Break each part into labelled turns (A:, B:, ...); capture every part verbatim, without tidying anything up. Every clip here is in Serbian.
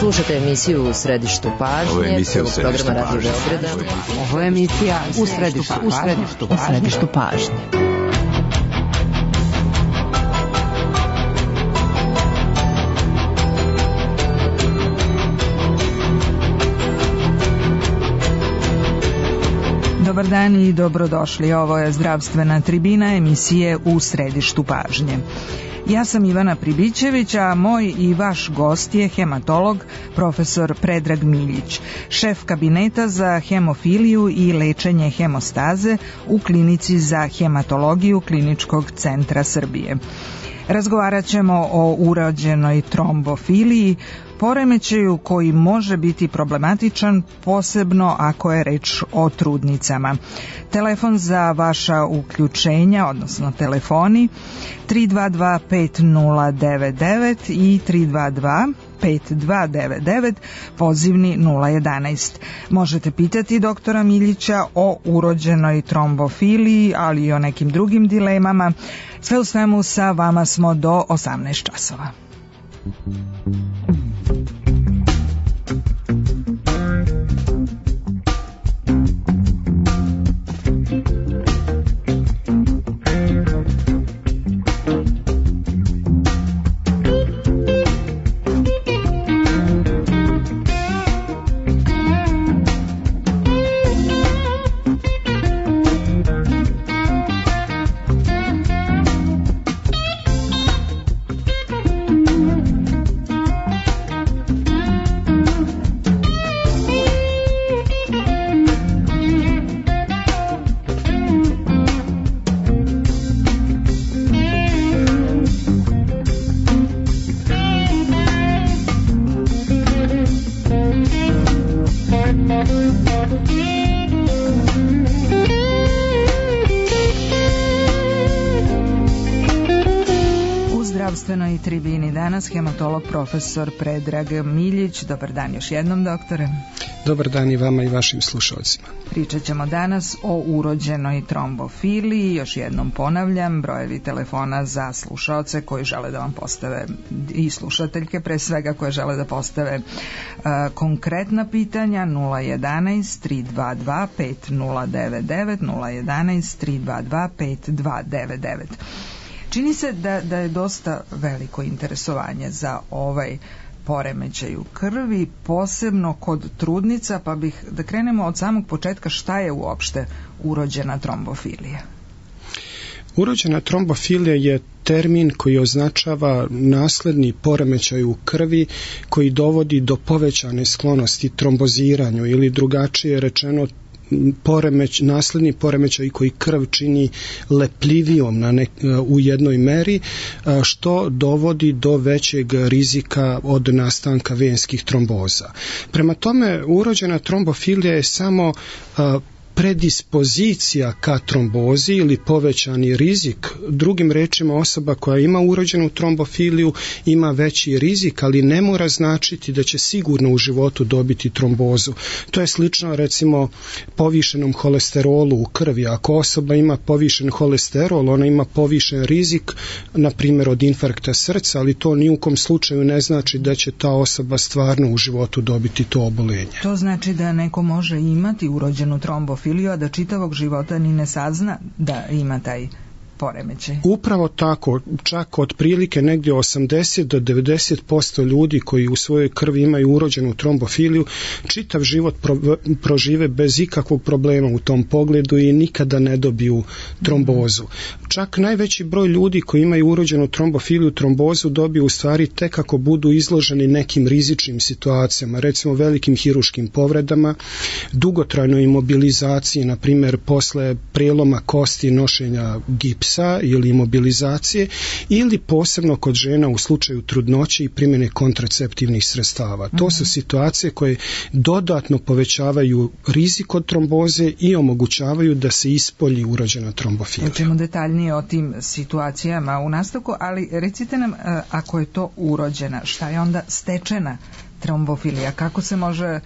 A: Slušajte emisiju U središtu pažnje.
B: Ovo je emisija U središtu pažnje.
A: Ovo je emisija U središtu pažnje. U središtu pažnje.
C: Dobar dan i dobrodošli. Ovo je zdravstvena tribina emisije U središtu pažnje. Ja sam Ivana Pribićević, a moj i vaš gost je hematolog profesor Predrag Miljić, šef kabineta za hemofiliju i lečenje hemostaze u klinici za hematologiju Kliničkog centra Srbije. Razgovarat ćemo o urođenoj trombofiliji, poremećaju koji može biti problematičan, posebno ako je reč o trudnicama. Telefon za vaša uključenja, odnosno telefoni, tri dva dva pet nula devet devet i tri dva dva pet dva devet devet, pozivni nula jedanaest. Možete pitati doktora Miljića o urođenoj trombofiliji, ali i o nekim drugim dilemama. Sve u svemu, sa vama smo do osamnaest časova. I tribini danas hematolog profesor Predrag Miljić. Dobar dan još jednom, doktore.
D: Dobar dan i vama i vašim slušalcima.
C: Pričat ćemo danas o urođenoj trombofiliji. Još jednom ponavljam, brojevi telefona za slušaoce koji žele da vam postave, i slušateljke pre svega koje žele da postave uh, konkretna pitanja, nula jedanaest tri dva dva pet nula devet devet, nula jedanaest tri dva dva pet dva devet devet. Čini se da, da je dosta veliko interesovanje za ovaj poremećaj u krvi, posebno kod trudnica, pa bih da krenemo od samog početka, šta je uopšte urođena trombofilija?
D: Urođena trombofilija je termin koji označava nasledni poremećaj u krvi koji dovodi do povećane sklonosti tromboziranju ili drugačije rečeno poremeć, nasledni poremećaj koji krv čini lepljivijom na nek, u jednoj meri, što dovodi do većeg rizika od nastanka venskih tromboza. Prema tome, urođena trombofilija je samo a, predispozicija ka trombozi ili povećani rizik. Drugim rečima, osoba koja ima urođenu trombofiliju ima veći rizik, ali ne mora značiti da će sigurno u životu dobiti trombozu. To je slično recimo povišenom holesterolu u krvi. Ako osoba ima povišen holesterol, ona ima povišen rizik, na primjer od infarkta srca, ali to ni u kom slučaju ne znači da će ta osoba stvarno u životu dobiti to oboljenje.
C: To znači da neko može imati urođenu trombofiliju, a da čitavog života ni ne sazna da ima taj poremećaj.
D: Upravo tako, čak otprilike negdje osamdeset do devedeset posto ljudi koji u svojoj krvi imaju urođenu trombofiliju čitav život pro, prožive bez ikakvog problema u tom pogledu i nikada ne dobiju trombozu. Čak najveći broj ljudi koji imaju urođenu trombofiliju trombozu dobiju u stvari tek ako budu izloženi nekim rizičnim situacijama, recimo velikim hiruškim povredama, dugotrajnoj imobilizaciji, na primjer posle prijeloma kosti, nošenja gipsa ili imobilizacije, ili posebno kod žena u slučaju trudnoće i primjene kontraceptivnih sredstava. To su situacije koje dodatno povećavaju rizik od tromboze i omogućavaju da se ispolji urođena trombofilija.
C: Učimo detaljnije o tim situacijama u nastavku, ali recite nam, ako je to urođena, šta je onda stečena trombofilija? Kako se može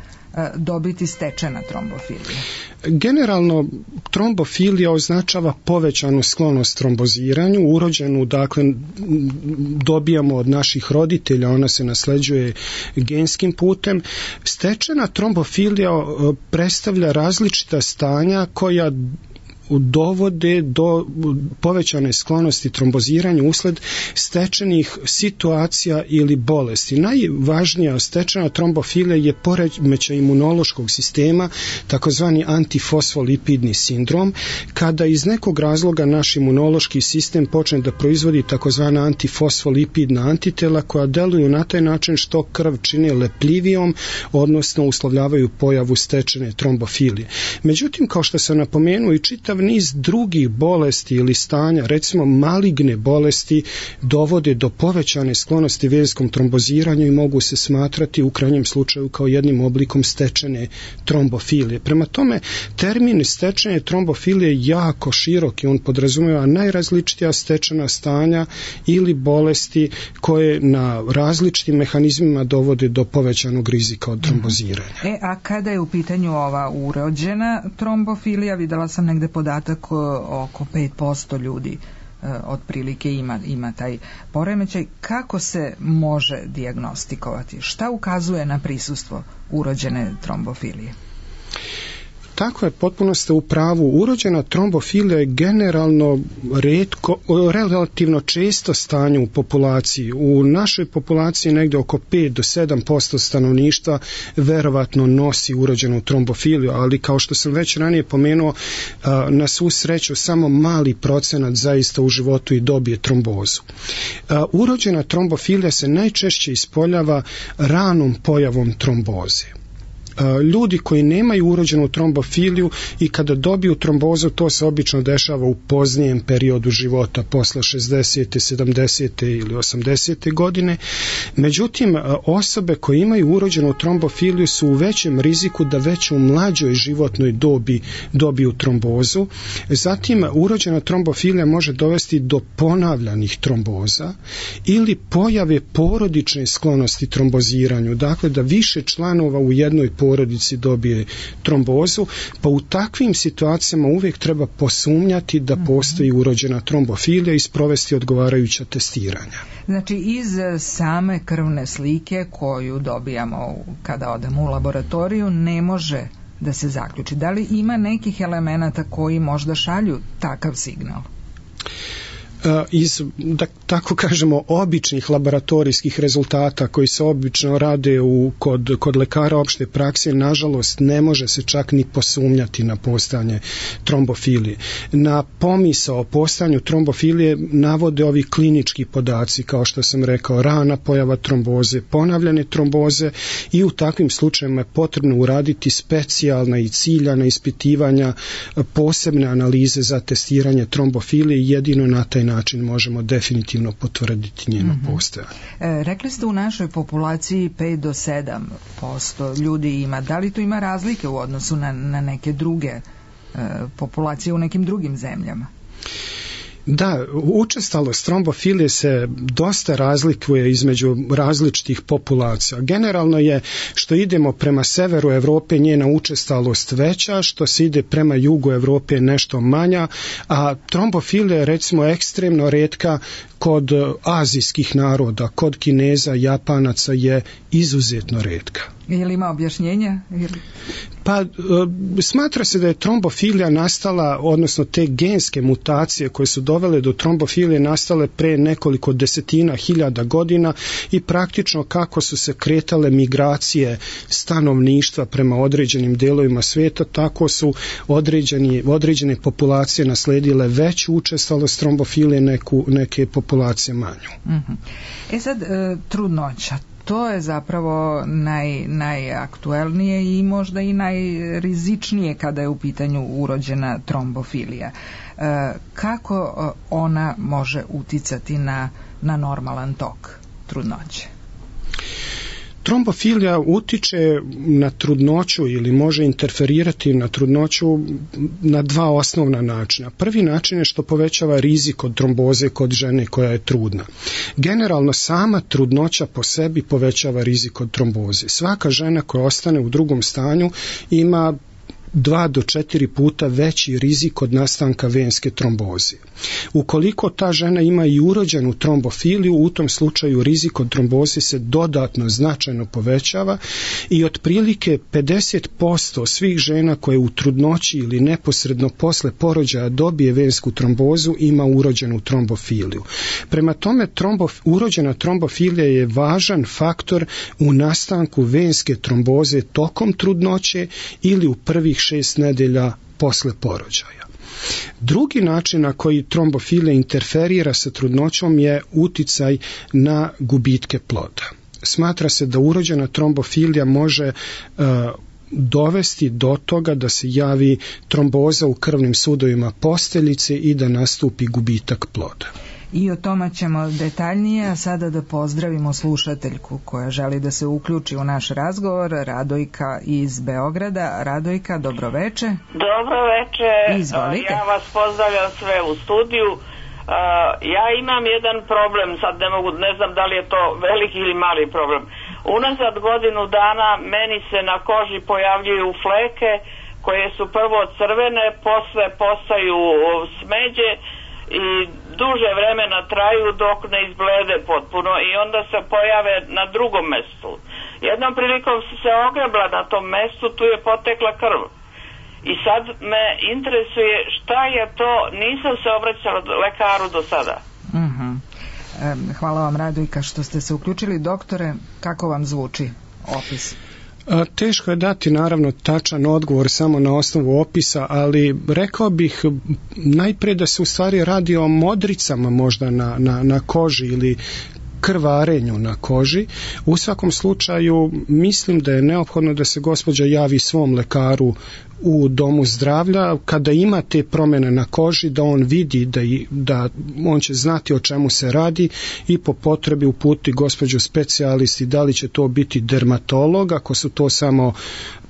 C: dobiti stečena trombofilija?
D: Generalno, trombofilija označava povećanu sklonost tromboziranju, urođenu, dakle, dobijamo od naših roditelja, ona se nasleđuje genskim putem. Stečena trombofilija predstavlja različita stanja koja dovode do povećane sklonosti tromboziranju usled stečenih situacija ili bolesti. Najvažnija stečena trombofilija je poremećaj imunološkog sistema, takozvani antifosfolipidni sindrom, kada iz nekog razloga naš imunološki sistem počne da proizvodi takozvana antifosfolipidna antitela koja deluju na taj način što krv čine lepljivijom, odnosno uslovljavaju pojavu stečene trombofilije. Međutim, kao što sam napomenuo, i čitav niz drugih bolesti ili stanja, recimo maligne bolesti, dovode do povećane sklonosti venskom tromboziranju i mogu se smatrati u krajnjem slučaju kao jednim oblikom stečene trombofilije. Prema tome, termin stečene trombofilije je jako širok i on podrazumijeva najrazličitija stečena stanja ili bolesti koje na različitim mehanizmima dovode do povećanog rizika od tromboziranja.
C: E, a kada je u pitanju ova urođena trombofilija, videla sam negde podatak oko pet posto ljudi otprilike ima, ima taj poremećaj. Kako se može dijagnostikovati? Šta ukazuje na prisustvo urođene trombofilije?
D: Tako je, potpuno ste u pravu. Urođena trombofilija je generalno retko, relativno često stanje u populaciji. U našoj populaciji negdje oko pet do sedam posto stanovništva verovatno nosi urođenu trombofiliju, ali kao što sam već ranije pomenuo, na svu sreću samo mali procenat zaista u životu i dobije trombozu. Urođena trombofilija se najčešće ispoljava ranom pojavom tromboze. Ljudi koji nemaju urođenu trombofiliju i kada dobiju trombozu, to se obično dešava u poznijem periodu života, posle šezdesete, sedamdesete ili osamdesete godine. Međutim, osobe koje imaju urođenu trombofiliju su u većem riziku da već u mlađoj životnoj dobi dobiju trombozu. Zatim, urođena trombofilija može dovesti do ponavljanih tromboza ili pojave porodične sklonosti tromboziranju, dakle da više članova u jednoj porodici dobije trombozu, pa u takvim situacijama uvijek treba posumnjati da postoji urođena trombofilija i sprovesti odgovarajuća testiranja.
C: Znači, iz same krvne slike koju dobijamo kada odemo u laboratoriju ne može da se zaključi. Da li ima nekih elemenata koji možda šalju takav signal?
D: Iz, da tako kažemo, običnih laboratorijskih rezultata koji se obično rade u, kod, kod lekara opšte prakse, nažalost ne može se čak ni posumnjati na postojanje trombofilije. Na pomisao o postojanju trombofilije navode ovi klinički podaci, kao što sam rekao, rana pojava tromboze, ponavljane tromboze, i u takvim slučajevima je potrebno uraditi specijalna i ciljana ispitivanja, posebne analize za testiranje trombofilije, jedino na taj način možemo definitivno potvrditi njeno mm-hmm. postojanje.
C: E, rekli ste u našoj populaciji pet do sedam posto ljudi ima. Da li to ima razlike u odnosu na, na neke druge e, populacije u nekim drugim zemljama?
D: Da, učestalost trombofilije se dosta razlikuje između različitih populacija. Generalno je što idemo prema severu Evrope njena učestalost veća, što se ide prema jugu Evrope nešto manja, a trombofilija je recimo ekstremno retka kod azijskih naroda, kod Kineza, Japanaca je izuzetno retka.
C: Je li ima objašnjenja?
D: Pa smatra se da je trombofilija nastala, odnosno te genske mutacije koje su dovele do trombofilije nastale pre nekoliko desetina hiljada godina i praktično kako su se kretale migracije stanovništva prema određenim delovima svijeta, tako su određeni, određene populacije nasledile veću učestalost trombofilije, neku, neke populacije manju.
C: Mm-hmm. E sad, e, trudnoća. To je zapravo naj, najaktuelnije i možda i najrizičnije kada je u pitanju urođena trombofilija. E, kako ona može uticati na, na normalan tok trudnoće?
D: Trombofilija utiče na trudnoću ili može interferirati na trudnoću na dva osnovna načina. Prvi način je što povećava rizik od tromboze kod žene koja je trudna. Generalno sama trudnoća po sebi povećava rizik od tromboze. Svaka žena koja ostane u drugom stanju ima dva do četiri puta veći rizik od nastanka venske tromboze. Ukoliko ta žena ima i urođenu trombofiliju, u tom slučaju rizik od tromboze se dodatno značajno povećava i otprilike pedeset posto svih žena koje u trudnoći ili neposredno posle porođaja dobije vensku trombozu ima urođenu trombofiliju. Prema tome, trombof, urođena trombofilija je važan faktor u nastanku venske tromboze tokom trudnoće ili u prvih šest nedelja posle porođaja. Drugi način na koji trombofilija interferira sa trudnoćom je uticaj na gubitke ploda. Smatra se da urođena trombofilija može uh, dovesti do toga da se javi tromboza u krvnim sudovima posteljice i da nastupi gubitak ploda.
C: I o tome ćemo detaljnije, a sada da pozdravimo slušateljku koja želi da se uključi u naš razgovor, Radojka iz Beograda. Radojka, dobroveče.
B: Dobroveče,
C: Izvolite.
B: Ja vas pozdravljam sve u studiju. Ja imam jedan problem, sad ne mogu, ne znam da li je to veliki ili mali problem. Unazad godinu dana meni se na koži pojavljuju fleke koje su prvo crvene, posle postaju smeđe i duže vremena traju dok ne izblede potpuno i onda se pojave na drugom mestu. Jednom prilikom se ogrebla na tom mestu, tu je potekla krv. I sad me interesuje šta je to, nisam se obraćala lekaru do sada.
C: Uh-huh. E, hvala vam, Radojka, što ste se uključili. Doktore, kako vam zvuči opis?
D: Teško je dati naravno tačan odgovor samo na osnovu opisa, ali rekao bih najprije da se u stvari radi o modricama možda na, na, na koži ili krvarenju na koži. U svakom slučaju mislim da je neophodno da se gospođa javi svom lekaru u domu zdravlja kada ima te promjene na koži, da on vidi da, da on će znati o čemu se radi i po potrebi uputi gospođu specijalisti, da li će to biti dermatolog, ako su to samo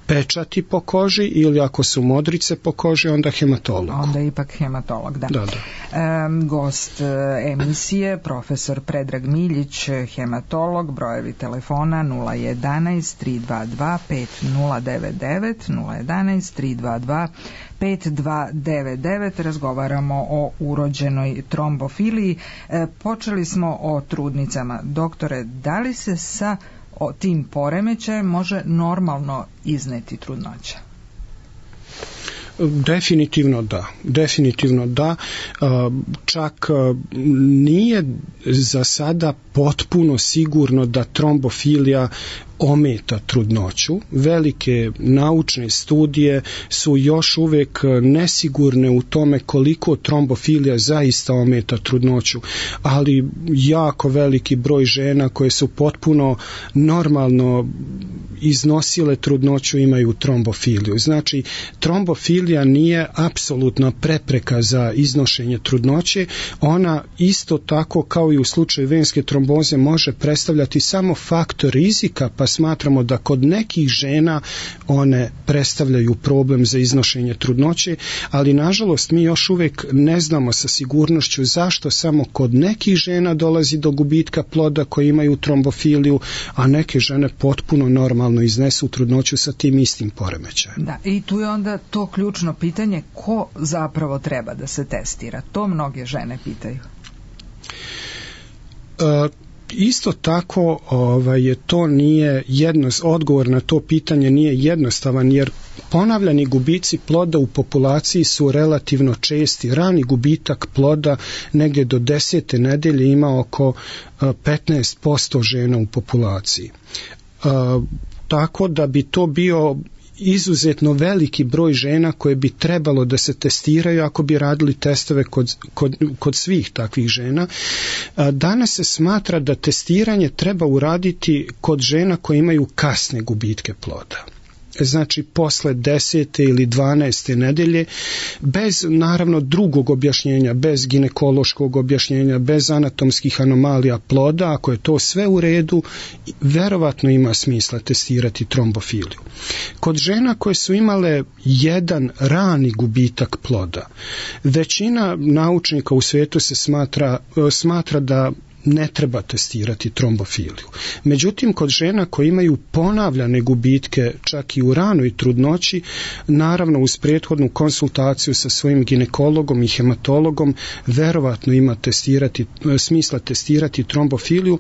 D: pečati po koži ili ako su modrice po koži, onda hematolog.
C: Onda ipak hematolog, da.
D: da, da.
C: E, gost emisije, profesor Predrag Miljić, hematolog, brojevi telefona nula jedanaest tri dva dva pet nula devet devet, nula jedanaest tri dva dva pet dva devet devet. Razgovaramo o urođenoj trombofiliji. E, počeli smo o trudnicama. Doktore, da li se sa o tim poremećajem može normalno izneti trudnoća?
D: Definitivno da, definitivno da, čak nije za sada potpuno sigurno da trombofilija ometa trudnoću. Velike naučne studije su još uvijek nesigurne u tome koliko trombofilija zaista ometa trudnoću, ali jako veliki broj žena koje su potpuno normalno iznosile trudnoću imaju trombofiliju. Znači, trombofilija nije apsolutna prepreka za iznošenje trudnoće, ona isto tako kao i u slučaju venske tromboze može predstavljati samo faktor rizika, pa smatramo da kod nekih žena one predstavljaju problem za iznošenje trudnoće, ali nažalost mi još uvijek ne znamo sa sigurnošću zašto samo kod nekih žena dolazi do gubitka ploda koji imaju trombofiliju, a neke žene potpuno normalno iznesu trudnoću sa tim istim poremećajem.
C: Da, i tu je onda to ključno pitanje, ko zapravo treba da se testira? To mnoge žene pitaju.
D: E, Isto tako ovaj, to nije jedno, odgovor na to pitanje nije jednostavan, jer ponavljani gubici ploda u populaciji su relativno česti. Rani gubitak ploda negdje do desete nedelje ima oko petnaest posto žena u populaciji. E, tako da bi to bio izuzetno veliki broj žena koje bi trebalo da se testiraju ako bi radili testove kod, kod, kod svih takvih žena. Danas se smatra da testiranje treba uraditi kod žena koje imaju kasne gubitke ploda. znači posle desete ili dvanaeste nedelje, bez naravno drugog objašnjenja, bez ginekološkog objašnjenja, bez anatomskih anomalija ploda, ako je to sve u redu, verovatno ima smisla testirati trombofiliju. Kod žena koje su imale jedan rani gubitak ploda, većina naučnika u svijetu se smatra, smatra da ne treba testirati trombofiliju. Međutim, kod žena koje imaju ponavljane gubitke čak i u ranoj trudnoći, naravno uz prethodnu konsultaciju sa svojim ginekologom i hematologom, verovatno ima testirati, smisla testirati trombofiliju,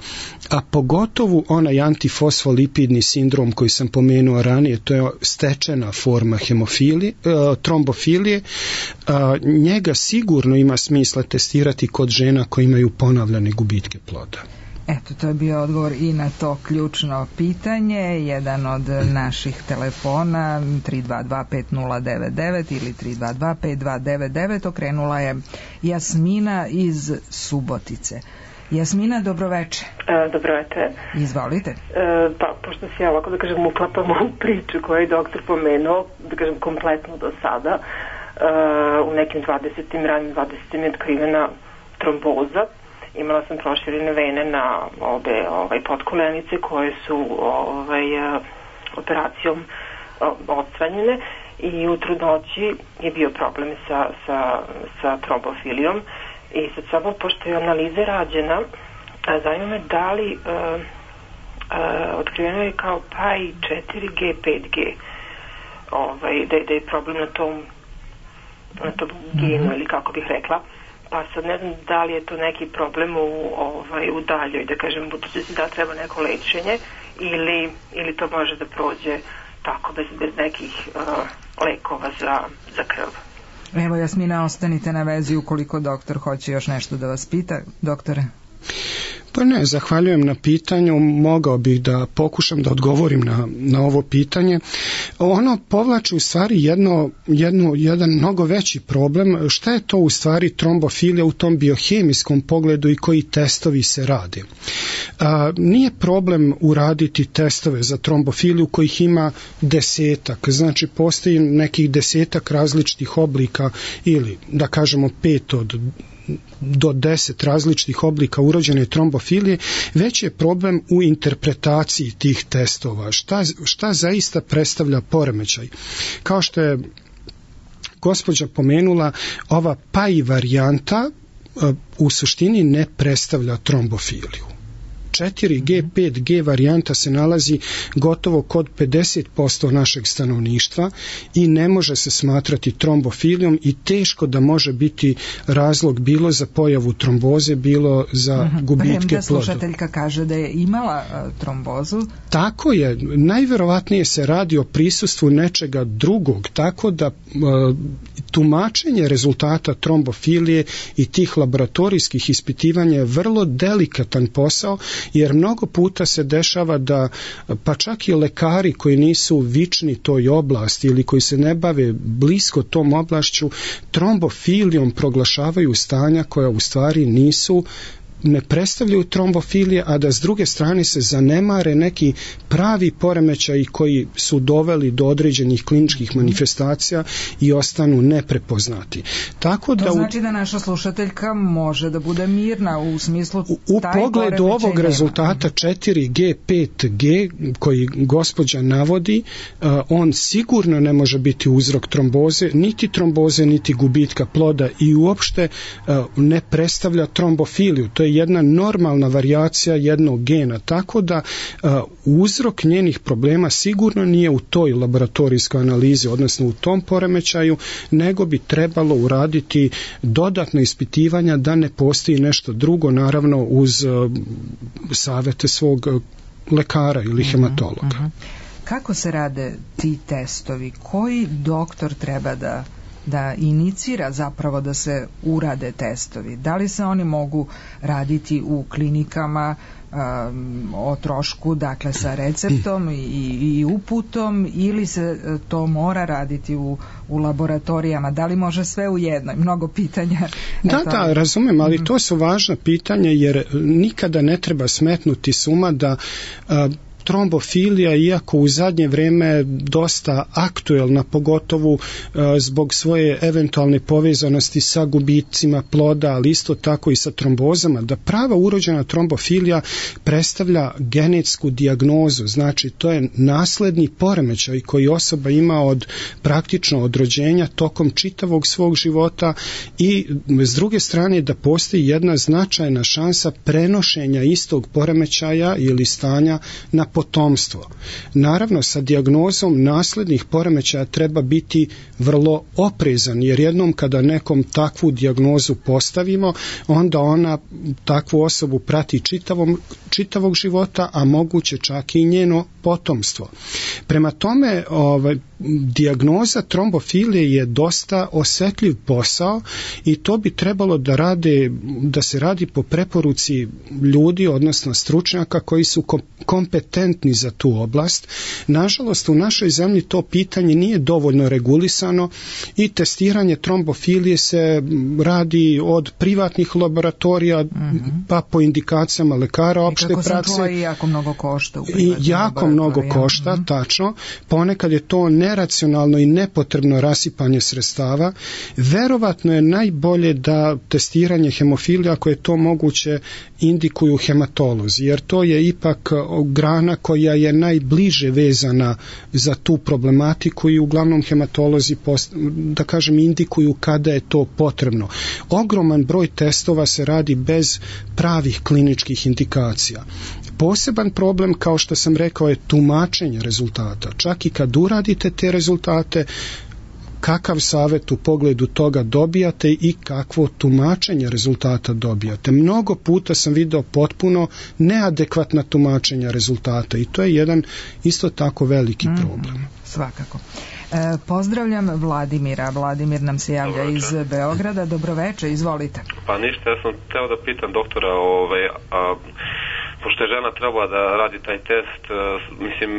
D: a pogotovo onaj antifosfolipidni sindrom koji sam pomenuo ranije, to je stečena forma hemofilije, trombofilije, njega sigurno ima smisla testirati kod žena koje imaju ponavljane gubitke ploda.
C: Eto, to je bio odgovor i na to ključno pitanje. Jedan od naših telefona tri dva dva pet nula devet devet ili tri dva dva pet dva devet devet okrenula je Jasmina iz Subotice. Jasmina, dobroveče.
E: E, dobroveče.
C: Izvolite.
E: E, pa, pošto se ja ovako, da kažem, uklapam u priču koju je doktor pomenuo, da kažem, kompletno do sada, e, u nekim dvadesetim, ranim dvadesetim je otkrivena tromboza. Imala sam proširene vene na obe ovaj, potkolenice koje su ovaj, operacijom odstranjene i u trudnoći je bio problem sa, sa, sa trombofilijom. I sad samo, pošto je analiza rađena, zanima me da li uh, uh, otkriveno je kao P A I četiri G pet G, ovaj, da, da je problem na tom, na tom genu, ili kako bih rekla. Pa sad ne znam da li je to neki problem u, ovaj, u daljoj, da kažem, budućnosti, da treba neko lečenje ili, ili to može da prođe tako bez, bez nekih uh, lekova za, za krv.
C: Evo, Jasmina, ostanite na vezi ukoliko doktor hoće još nešto da vas pita. Doktore?
D: Pa ne, zahvaljujem na pitanju, mogao bih da pokušam da odgovorim na, na ovo pitanje. Ono povlači u stvari jedno, jedno, jedan mnogo veći problem, šta je to u stvari trombofilija u tom biohemijskom pogledu i koji testovi se rade. A, nije problem uraditi testove za trombofiliju kojih ima desetak, znači postoji nekih desetak različitih oblika ili da kažemo pet od do deset različitih oblika urođene trombofilije, već je problem u interpretaciji tih testova. Šta, šta zaista predstavlja poremećaj? Kao što je gospođa pomenula, ova P A I varijanta u suštini ne predstavlja trombofiliju. četiri G pet G varijanta se nalazi gotovo kod pedeset posto našeg stanovništva i ne može se smatrati trombofilijom i teško da može biti razlog bilo za pojavu tromboze, bilo za uh-huh. gubitke ploda.
C: Premda slušateljka kaže da je imala uh, trombozu.
D: Tako je. Najverovatnije se radi o prisustvu nečega drugog, tako da uh, tumačenje rezultata trombofilije i tih laboratorijskih ispitivanja je vrlo delikatan posao, jer mnogo puta se dešava da pa čak i lekari koji nisu vični toj oblasti ili koji se ne bave blisko tom oblašću trombofilijom proglašavaju stanja koja u stvari nisu, ne predstavljaju trombofilije, a da s druge strane se zanemare neki pravi poremećaji koji su doveli do određenih kliničkih manifestacija i ostanu neprepoznati. Tako da
C: to znači da naša slušateljka može da bude mirna u smislu
D: u, u pogledu ovog nema. Rezultata četiri G pet G koji gospođa navodi, uh, on sigurno ne može biti uzrok tromboze, niti tromboze, niti gubitka ploda i uopšte uh, ne predstavlja trombofiliju. To je jedna normalna varijacija jednog gena, tako da uh, uzrok njenih problema sigurno nije u toj laboratorijskoj analizi, odnosno u tom poremećaju, nego bi trebalo uraditi dodatno ispitivanja da ne postoji nešto drugo, naravno uz uh, savete svog uh, lekara ili hematologa. Uh-huh, uh-huh.
C: Kako se rade ti testovi? Koji doktor treba da da inicira zapravo da se urade testovi? Da li se oni mogu raditi u klinikama um, o trošku, dakle sa receptom i, i uputom, ili se to mora raditi u, u laboratorijama? Da li može sve u jednoj? Mnogo pitanja.
D: Da,
C: Eto.
D: da, razumem, ali to su važna pitanja jer nikada ne treba smetnuti suma da uh, trombofilija, iako u zadnje vrijeme dosta aktuelna, pogotovo zbog svoje eventualne povezanosti sa gubicima ploda, ali isto tako i sa trombozama, da prava urođena trombofilija predstavlja genetsku dijagnozu, znači to je nasledni poremećaj koji osoba ima od praktično od rođenja tokom čitavog svog života i s druge strane da postoji jedna značajna šansa prenošenja istog poremećaja ili stanja na potomstvo. Naravno, sa dijagnozom naslednih poremećaja treba biti vrlo oprezan, jer jednom kada nekom takvu dijagnozu postavimo, onda ona takvu osobu prati čitavom, čitavog života, a moguće čak i njeno potomstvo. Prema tome, ovaj, dijagnoza trombofilije je dosta osjetljiv posao i to bi trebalo da rade, da se radi po preporuci ljudi, odnosno stručnjaka koji su kompetentni za tu oblast. Nažalost, u našoj zemlji to pitanje nije dovoljno regulisano i testiranje trombofilije se radi od privatnih laboratorija, mm-hmm. pa po indikacijama lekara opšte prakse.
C: I kako sam čula, i jako mnogo košta.
D: I jako mnogo košta, mm-hmm. tačno. Ponekad je to neracionalno i nepotrebno rasipanje sredstava. Verovatno je najbolje da testiranje hemofilija, ako je to moguće, indikuju hematolozi, jer to je ipak grana koja je najbliže vezana za tu problematiku i uglavnom hematolozi, da kažem, indikuju kada je to potrebno. Ogroman broj testova se radi bez pravih kliničkih indikacija. Poseban problem, kao što sam rekao, je tumačenje rezultata. Čak i kad uradite te rezultate, kakav savjet u pogledu toga dobijate i kakvo tumačenje rezultata dobijate. Mnogo puta sam vidio potpuno neadekvatna tumačenja rezultata i to je jedan isto tako veliki mm, problem.
C: Svakako. E, pozdravljam Vladimira. Vladimir nam se javlja iz Beograda. Dobroveče, izvolite.
F: Pa ništa, ja sam hteo da pitam doktora, ovaj, a, pošto je žena trebala da radi taj test, uh, mislim,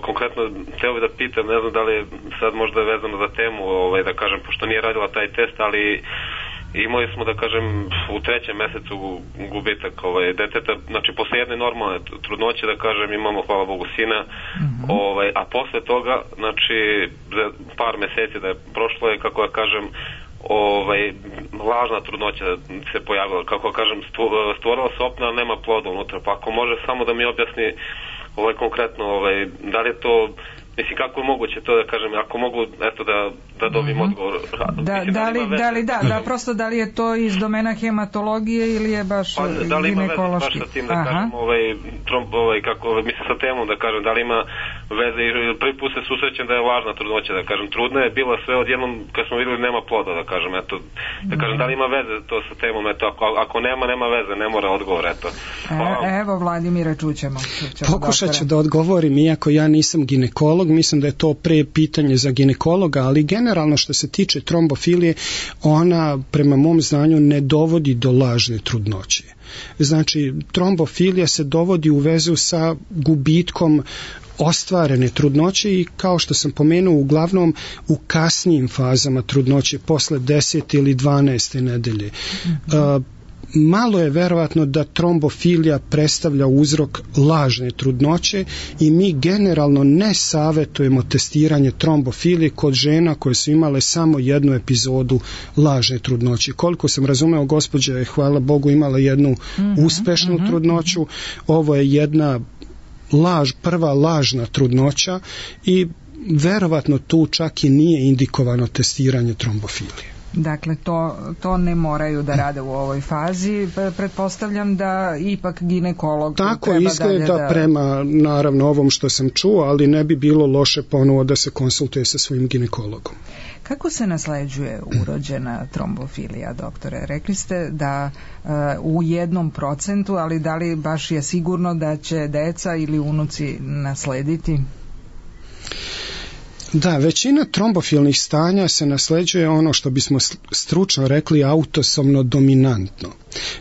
F: konkretno hteo bih da pitam, ne znam da li je sad možda vezano za temu, ovaj, da kažem, pošto nije radila taj test, ali imali smo, da kažem, u trećem mesecu gubitak ovaj, deteta, znači posle jedne normalne trudnoće, da kažem, imamo, hvala Bogu, sina, mm-hmm. ovaj, a posle toga, znači, za par meseci da je prošlo je, kako ja kažem, ovaj, lažna trudnoća se pojavila, kako kažem, stvorila se opna, ali nema ploda unutra, pa ako može samo da mi objasni ovaj, konkretno, ovaj, da li je to, mislim, kako je moguće to da kažem, ako mogu, eto, da, da dobijem mm-hmm. odgovor.
C: Da, mislim, da, li, da, li, da, da, prosto da li je to iz domena hematologije ili je baš
F: pa, da li ima veze baš sa tim, da Aha. kažem, ovaj, tromb, ovaj, kako, mislim, sa temom, da kažem, da li ima veze, prvi put se susrećem da je lažna trudnoća, da kažem, trudna je bila sve odjednom, kad smo vidjeli nema ploda, da kažem, eto, da kažem, da li ima veze to sa temom, eto, ako, ako nema, nema veze, ne mora odgovor, eto.
C: E, evo, Vladimira, čućemo. čućemo
D: Pokušat ću da odgovorim, iako ja nisam ginekolog, mislim da je to pre pitanje za ginekologa, ali generalno što se tiče trombofilije, ona prema mom znanju ne dovodi do lažne trudnoće. Znači, trombofilija se dovodi u vezu sa gubitkom ostvarene trudnoće i kao što sam pomenuo, uglavnom u kasnijim fazama trudnoće, posle desete ili dvanaeste nedelje. Mm-hmm. Uh, malo je verovatno da trombofilija predstavlja uzrok lažne trudnoće i mi generalno ne savjetujemo testiranje trombofilije kod žena koje su imale samo jednu epizodu lažne trudnoće. Koliko sam razumeo, gospođa je, hvala Bogu, imala jednu mm-hmm, uspešnu mm-hmm. trudnoću. Ovo je jedna laž, prva lažna trudnoća i verovatno tu čak i nije indikovano testiranje trombofilije.
C: Dakle, to, to ne moraju da rade u ovoj fazi. Pretpostavljam da ipak ginekolog
D: tako
C: treba
D: izgleda
C: dalje da...
D: prema, naravno, ovom što sam čuo, ali ne bi bilo loše ponovo da se konsultuje sa svojim ginekologom.
C: Kako se nasleđuje urođena trombofilija, doktore? Rekli ste da uh, u jednom procentu, ali da li baš je sigurno da će deca ili unuci naslediti?
D: Da, većina trombofilnih stanja se nasleđuje ono što bismo stručno rekli autosomno dominantno.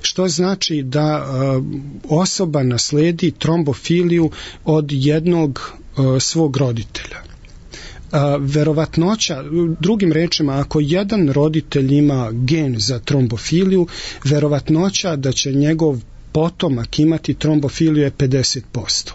D: Što znači da uh, osoba nasledi trombofiliju od jednog uh, svog roditelja. Uh, verovatnoća, drugim rečima, ako jedan roditelj ima gen za trombofiliju, verovatnoća da će njegov potomak imati trombofiliju je pedeset posto.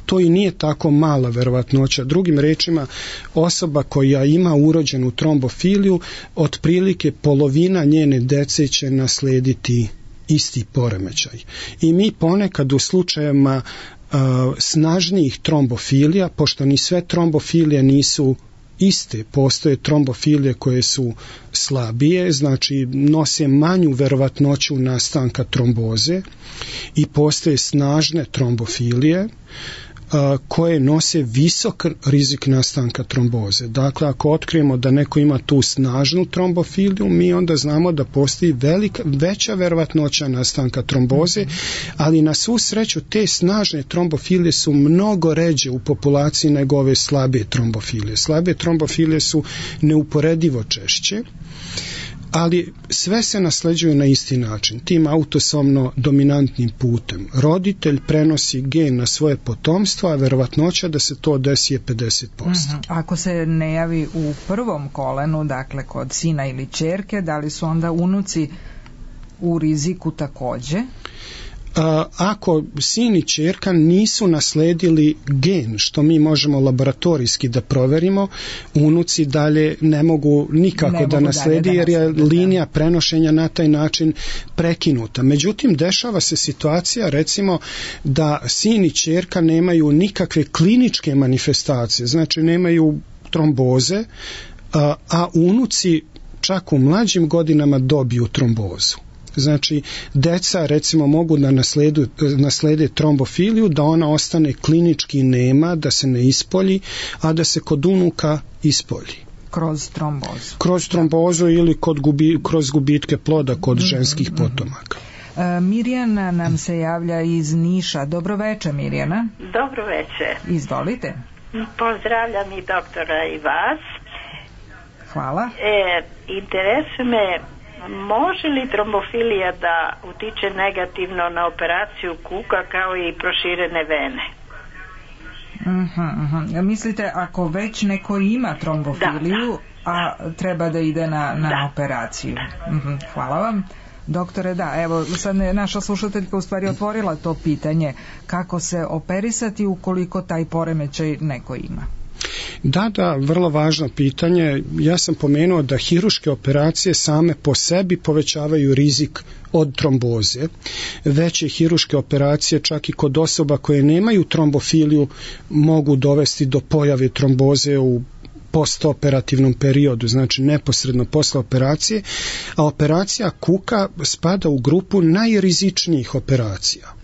D: to i nije tako mala verovatnoća. Drugim rečima, osoba koja ima urođenu trombofiliju, otprilike polovina njene dece će naslediti isti poremećaj. I mi ponekad u slučajevima uh, snažnijih trombofilija, pošto ni sve trombofilije nisu iste, postoje trombofilije koje su slabije, znači nose manju verovatnoću nastanka tromboze, i postoje snažne trombofilije a, koje nose visok rizik nastanka tromboze. Dakle, ako otkrijemo da neko ima tu snažnu trombofiliju, mi onda znamo da postoji velika, veća verovatnoća nastanka tromboze, ali na svu sreću te snažne trombofilije su mnogo ređe u populaciji nego ove slabe trombofilije. Slabe trombofilije su neuporedivo češće, ali sve se nasleđuju na isti način, tim autosomno dominantnim putem. Roditelj prenosi gen na svoje potomstvo, a verovatnoća da se to desi je pedeset posto.
C: Mm-hmm. Ako se ne javi u prvom kolenu, dakle kod sina ili ćerke, da li su onda unuci u riziku takođe?
D: Ako sin i ćerka nisu nasledili gen, što mi možemo laboratorijski da proverimo, unuci dalje ne mogu nikako ne da nasledi, jer je linija prenošenja na taj način prekinuta. Međutim, dešava se situacija, recimo, da sin i ćerka nemaju nikakve kliničke manifestacije, znači nemaju tromboze, a, a unuci čak u mlađim godinama dobiju trombozu. Znači, deca recimo mogu da nasledu, naslede trombofiliju, da ona ostane klinički nema, da se ne ispolji, a da se kod unuka ispolji.
C: Kroz trombozu.
D: Kroz trombozu ili kod gubi, kroz gubitke ploda kod mm-hmm. ženskih potomaka.
C: E, Mirjana nam se javlja iz Niša. Dobro veče, Mirjana.
G: Dobro veče.
C: Izvolite.
G: Pozdravljam i doktora i vas.
C: Hvala.
G: E, interesuje me, može li trombofilija da utiče negativno na operaciju kuka kao i proširene vene?
C: Uh-huh, uh-huh. Mislite, ako već neko ima trombofiliju, da, da. a treba da ide na, na da. operaciju? Uh-huh. Hvala vam. Doktore, da, evo, sad je naša slušateljka u stvari otvorila to pitanje, kako se operisati ukoliko taj poremećaj neko ima.
D: Da, da, vrlo važno pitanje. Ja sam pomenuo da hiruške operacije same po sebi povećavaju rizik od tromboze. Veće hiruške operacije, čak i kod osoba koje nemaju trombofiliju, mogu dovesti do pojave tromboze u postoperativnom periodu, znači neposredno posle operacije, a operacija kuka spada u grupu najrizičnijih operacija.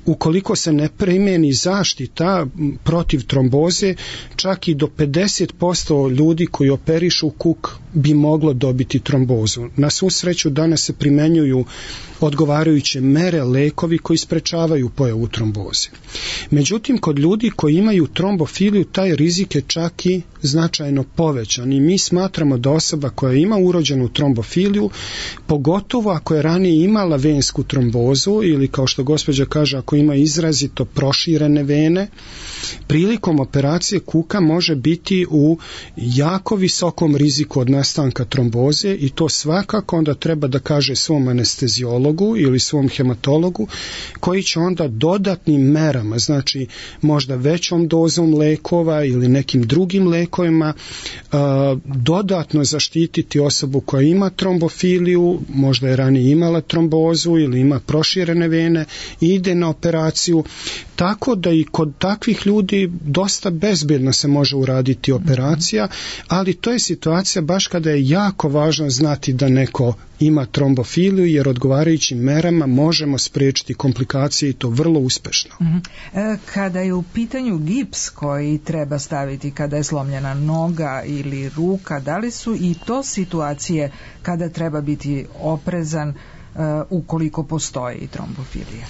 D: Ukoliko se ne primjeni zaštita protiv tromboze, čak i do pedeset posto ljudi koji operišu kuk bi moglo dobiti trombozu. Na svu sreću danas se primenjuju odgovarajuće mere, lekovi koji sprečavaju pojavu tromboze. Međutim, kod ljudi koji imaju trombofiliju, taj rizik je čak i značajno povećan i mi smatramo da osoba koja ima urođenu trombofiliju, pogotovo ako je ranije imala vensku trombozu ili, kao što gospođa kaže, ako ima izrazito proširene vene, prilikom operacije kuka može biti u jako visokom riziku od nastanka tromboze i to svakako onda treba da kaže svom anesteziologu ili svom hematologu, koji će onda dodatnim merama, znači možda većom dozom lekova ili nekim drugim lekovima, dodatno zaštititi osobu koja ima trombofiliju, možda je ranije imala trombozu ili ima proširene vene i ide na operaciju, tako da i kod takvih ljudi dosta bezbedno se može uraditi operacija, ali to je situacija baš kada je jako važno znati da neko ima trombofiliju, jer odgovarajućim merama možemo spriječiti komplikacije i to vrlo uspešno.
C: Kada je u pitanju gips koji treba staviti kada je slomljena noga ili ruka, da li su i to situacije kada treba biti oprezan uh, ukoliko postoji trombofilija?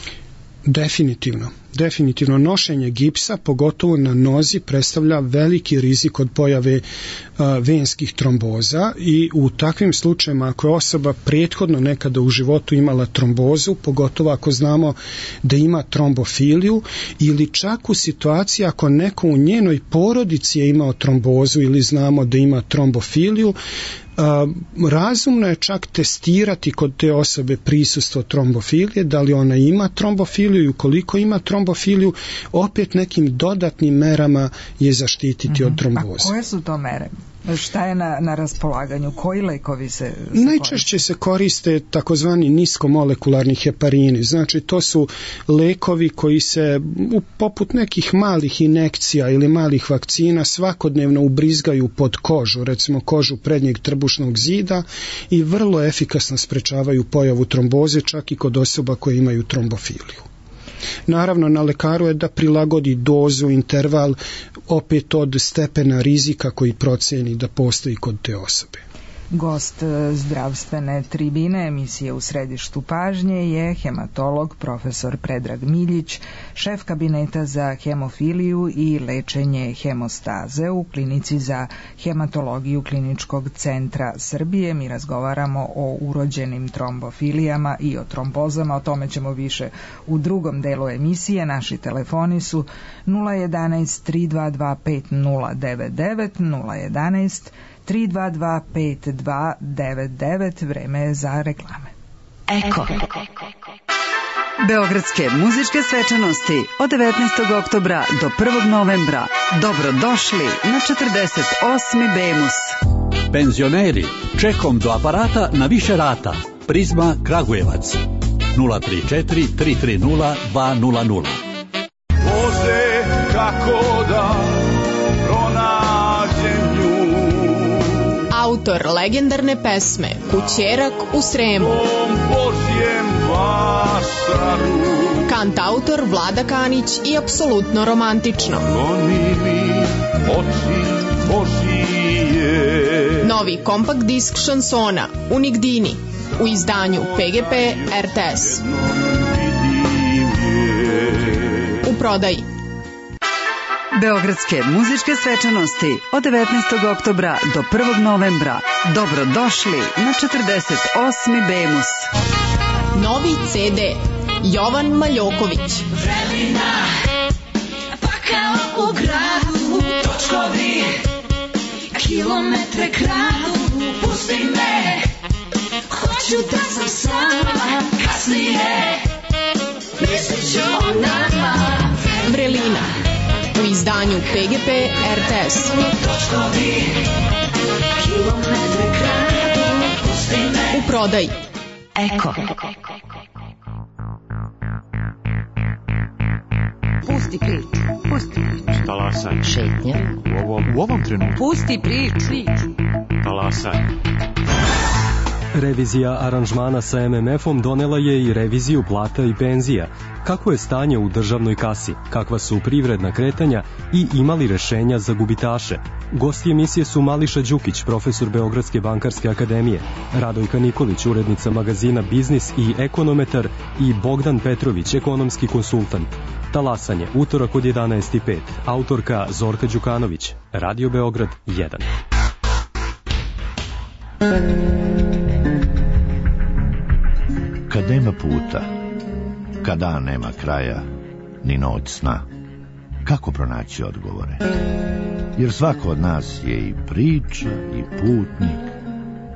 D: Definitivno. Definitivno nošenje gipsa, pogotovo na nozi, predstavlja veliki rizik od pojave uh, venskih tromboza i u takvim slučajima ako je osoba prethodno nekada u životu imala trombozu, pogotovo ako znamo da ima trombofiliju ili čak u situaciji ako neko u njenoj porodici je imao trombozu ili znamo da ima trombofiliju, Uh, razumno je čak testirati kod te osobe prisustvo trombofilije, da li ona ima trombofiliju i ukoliko ima trombofiliju, trombofiliju, opet nekim dodatnim merama je zaštititi mm-hmm. od tromboze.
C: A koje su to mere? Šta je na, na raspolaganju? Koji lekovi se, se
D: Najčešće koriste? se koriste takozvani niskomolekularni heparini. Znači to su lekovi koji se u, poput nekih malih injekcija ili malih vakcina svakodnevno ubrizgaju pod kožu, recimo kožu prednjeg trbušnog zida i vrlo efikasno sprečavaju pojavu tromboze čak i kod osoba koje imaju trombofiliju. Naravno, na lekaru je da prilagodi dozu, interval, opet od stepena rizika koji proceni da postoji kod te osobe.
C: Gost zdravstvene tribine emisije U središtu pažnje je hematolog profesor Predrag Miljić, šef kabineta za hemofiliju i lečenje hemostaze u klinici za hematologiju Kliničkog centra Srbije. Mi razgovaramo o urođenim trombofilijama i o trombozama, o tome ćemo više u drugom delu emisije. Naši telefoni su nula jedanaest tri dva dva pet nula devet devet, nula jedanaest tri dva dva pet dva devet devet. Vreme je za reklame.
A: Eko. Beogradske muzičke svečanosti od devetnaestog oktobra do prvog novembra. Dobrodošli na četrdeset osmi Bemus.
H: Penzioneri, čekom do aparata na više rata. Prizma Kragujevac. nula tri četiri tri tri nula dva nula nula.
I: Voze kako da pronađem nju.
J: Autor legendarne pesme Kućerak u Sremu. Kantautor Vlada Kanić i apsolutno romantično. Novi kompakt disk šansona Unigdini u izdanju P G P R T S. U prodaji.
A: Beogradske muzičke svečanosti od devetnaestog oktobra do prvog novembra. Dobrodošli na četrdeset osmi Bemus.
J: Novi C D Jovan Maljoković.
K: Želina, pa kao u gradu, točkovi, kilometre kradu, pusti me, hoću da sam sama, kasnije, mislit ću o nama.
J: Vrelina u izdanju P G P R T S.
K: Točkovi, kilometre kradu, pusti me.
J: U prodaji.
A: Eko. Pusti priču, pusti priču.
L: Talasaj.
A: Šetnja.
L: U ovom, u ovom trenutku.
A: Pusti priču.
L: Talasaj.
M: Revizija aranžmana sa M M F-om donela je i reviziju plata i penzija. Kako je stanje u državnoj kasi, kakva su privredna kretanja i imali rešenja za gubitaše? Gosti emisije su Mališa Đukić, profesor Beogradske bankarske akademije, Radojka Nikolić, urednica magazina Biznis i ekonometar i Bogdan Petrović, ekonomski konsultant. Talasanje, utorak od jedanaest i pet, autorka Zorka Đukanović, Radio Beograd jedan.
N: Kad nema puta, kad dan nema kraja, ni noć sna, kako pronaći odgovore? Jer svako od nas je i priča, i putnik,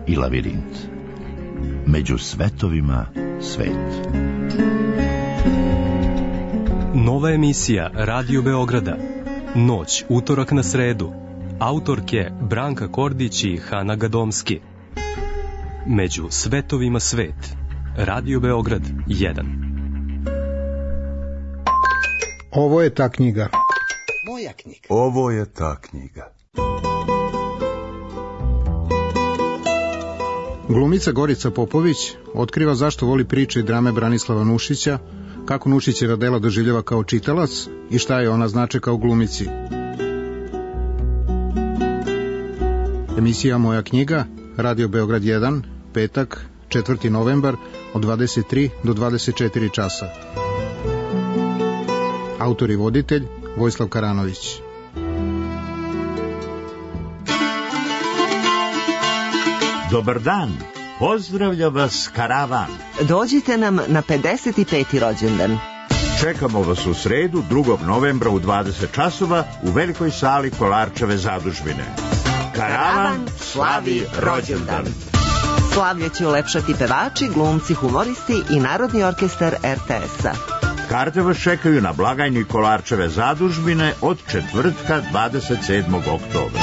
N: i lavirint. Među svetovima svet.
M: Nova emisija Radio Beograda. Noć, utorak na sredu. Autorke Branka Kordić i Hana Gadomski. Među svetovima svet. Radio Beograd jedan.
O: Ovo je ta knjiga.
P: Moja knjiga.
Q: Ovo je ta knjiga.
O: Glumica Gorica Popović otkriva zašto voli priče i drame Branislava Nušića, kako Nušićeva dela doživljava kao čitalac i šta je ona znače kao glumici. Emisija Moja knjiga, Radio Beograd jedan, petak, četvrti novembar, od dvadeset tri do dvadeset četiri časa. Autor i voditelj Vojislav Karanović.
R: Dobar dan, pozdravlja vas karavan.
S: Dođite nam na pedeset peti rođendan.
R: Čekamo vas u sredu, drugog novembra u dvadeset časova u velikoj sali Kolarčeve zadužbine. Karavan slavi rođendan.
S: Slavlje će ulepšati pevači, glumci, humoristi i Narodni orkestar R T S-a.
R: Karte vas čekaju na blagajni Kolarčeve zadužbine od četvrtka dvadeset sedmog oktobra.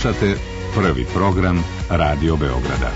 P: Slušate prvi program Radio Beograda.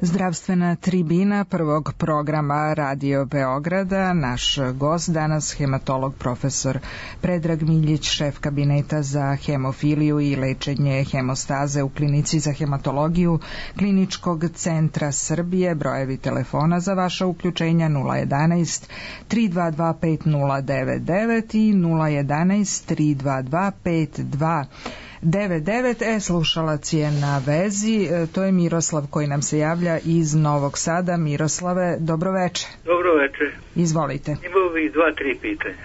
C: Zdravstvena tribina prvog programa Radio Beograda. Naš gost danas hematolog profesor Predrag Miljić, šef kabineta za hemofiliju i lečenje hemostaze u klinici za hematologiju Kliničkog centra Srbije. Brojevi telefona za vaša uključenja nula jedanaest tri dva dva pet nula devet devet i nula jedanaest tri dva dva pet dva devet devet. E, slušalac je na vezi, e, to je Miroslav koji nam se javlja iz Novog Sada. Miroslave, dobroveče.
Q: Dobroveče.
C: Izvolite.
Q: Imao bih dva, tri pitanja.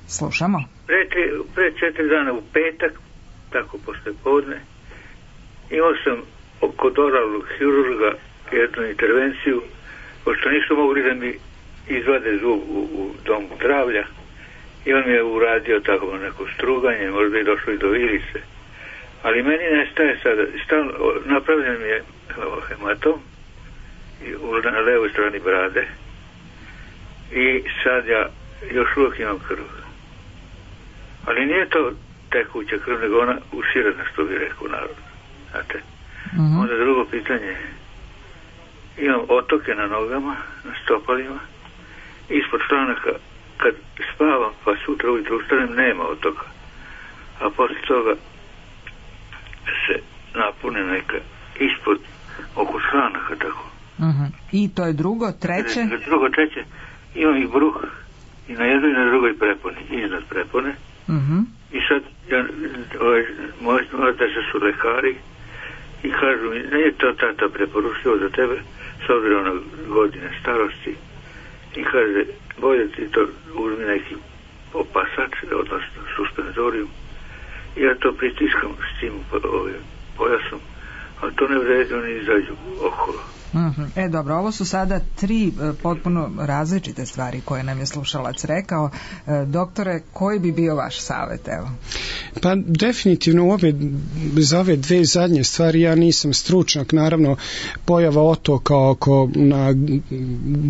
C: Slušamo.
Q: Pre, tri, pre četiri dana u petak, tako posle podne, imao sam kod oralnog hirurga jednu intervenciju, pošto nisu mogli da mi izvade zub u, u domu zdravlja, i on mi je uradio tako neko struganje, možda i došlo i do virice. Ali meni nestaje sada, stalno, napravljen mi je hematom na levoj strani brade i sad ja još uvijek imam krv. Ali nije to tekuća krv, nego ona usirana, što bi rekao narod. Znate? Mm-hmm. Onda drugo pitanje, imam otoke na nogama, na stopalima, ispod članaka kad spavam pa sutra ujutro ustanem nema otoka, a posle toga se napune neka ispod oko članaka tako.
C: Uh-huh. I to je drugo, treće?
Q: Drugo, treće, imam i bruh i na jednoj i na drugoj preponi, iznad prepone.
C: Uh-huh.
Q: I sad ja, ovaj, moj otac su lekari i kažu mi, nije to tata preporučio za tebe s obzirom na godine starosti, i kaže, bolje ti to uzmi neki opasač, odnosno suspenzoriju, i ja to pritiskam s tim ovim pojasom, ali to ne vredi, oni izađu okolo.
C: Uh-huh. E dobro, ovo su sada tri e, potpuno različite stvari koje nam je slušalac rekao. E, doktore, koji bi bio vaš savjet, evo?
D: Pa definitivno ove, za ove dve zadnje stvari ja nisam stručnjak, naravno pojava otoka oko na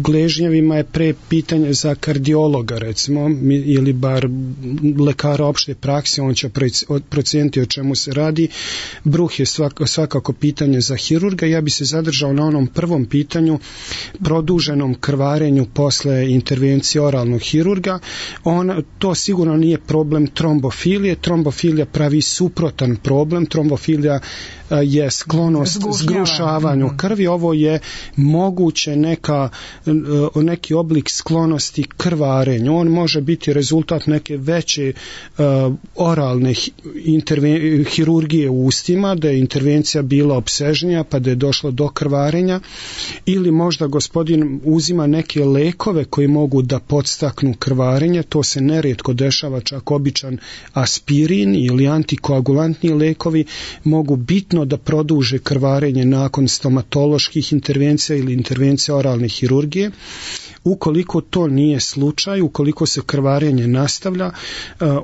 D: gležnjevima je pre pitanje za kardiologa recimo, ili bar lekara opšte prakse, on će procijeniti o čemu se radi. Bruh je svak, svakako pitanje za hirurga. Ja bi se zadržao na onom prvom pitanju, produženom krvarenju posle intervencije oralnog hirurga. On, to sigurno nije problem trombofilije. Trombofilija pravi suprotan problem. Trombofilija je sklonost zgrušavanju krvi. Ovo je moguće neka, neki oblik sklonosti krvarenju. On može biti rezultat neke veće uh, oralne interven- hirurgije u ustima, da je intervencija bila opsežnija pa da je došlo do krvarenja, ili možda gospodin uzima neke lekove koji mogu da podstaknu krvarenje. To se nerijetko dešava, čak običan aspirin ili antikoagulantni lekovi mogu bitno da produže krvarenje nakon stomatoloških intervencija ili intervencija oralne hirurgije. Ukoliko to nije slučaj, ukoliko se krvarenje nastavlja,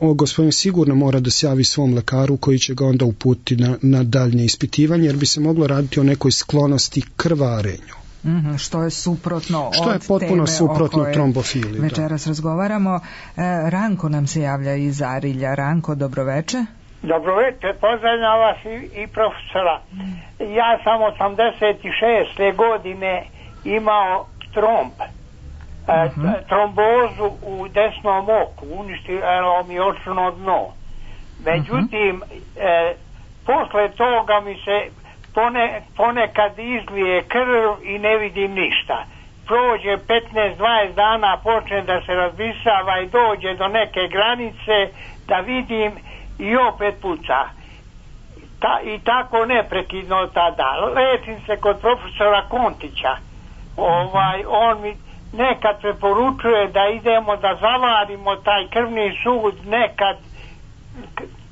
D: o, gospodin sigurno mora da se javi svom lekaru koji će ga onda uputiti na, na daljnje ispitivanje, jer bi se moglo raditi o nekoj sklonosti krvarenju.
C: Mm-hmm, što je suprotno
D: što je
C: od
D: potpuno
C: teme
D: suprotno trombofiliji.
C: Večeras da. razgovaramo. E, Ranko nam se javlja iz Arilja. Ranko, dobroveče.
T: Dobroveče, pozdravljam vas i, i profesora. Ja sam osamdeset šeste godine imao tromb, uh-huh. e, trombozu u desnom oku, uništilo mi očno dno. Međutim, uh-huh. e, posle toga mi se pone, ponekad izlije krv i ne vidim ništa. Prođe petnaest dvadeset dana, počne da se razbisava i dođe do neke granice da vidim i opet puca. Ta, i tako neprekidno tada. Lečim se kod profesora Kontića. Ovaj, on mi nekad preporučuje da idemo da zavarimo taj krvni sud, nekad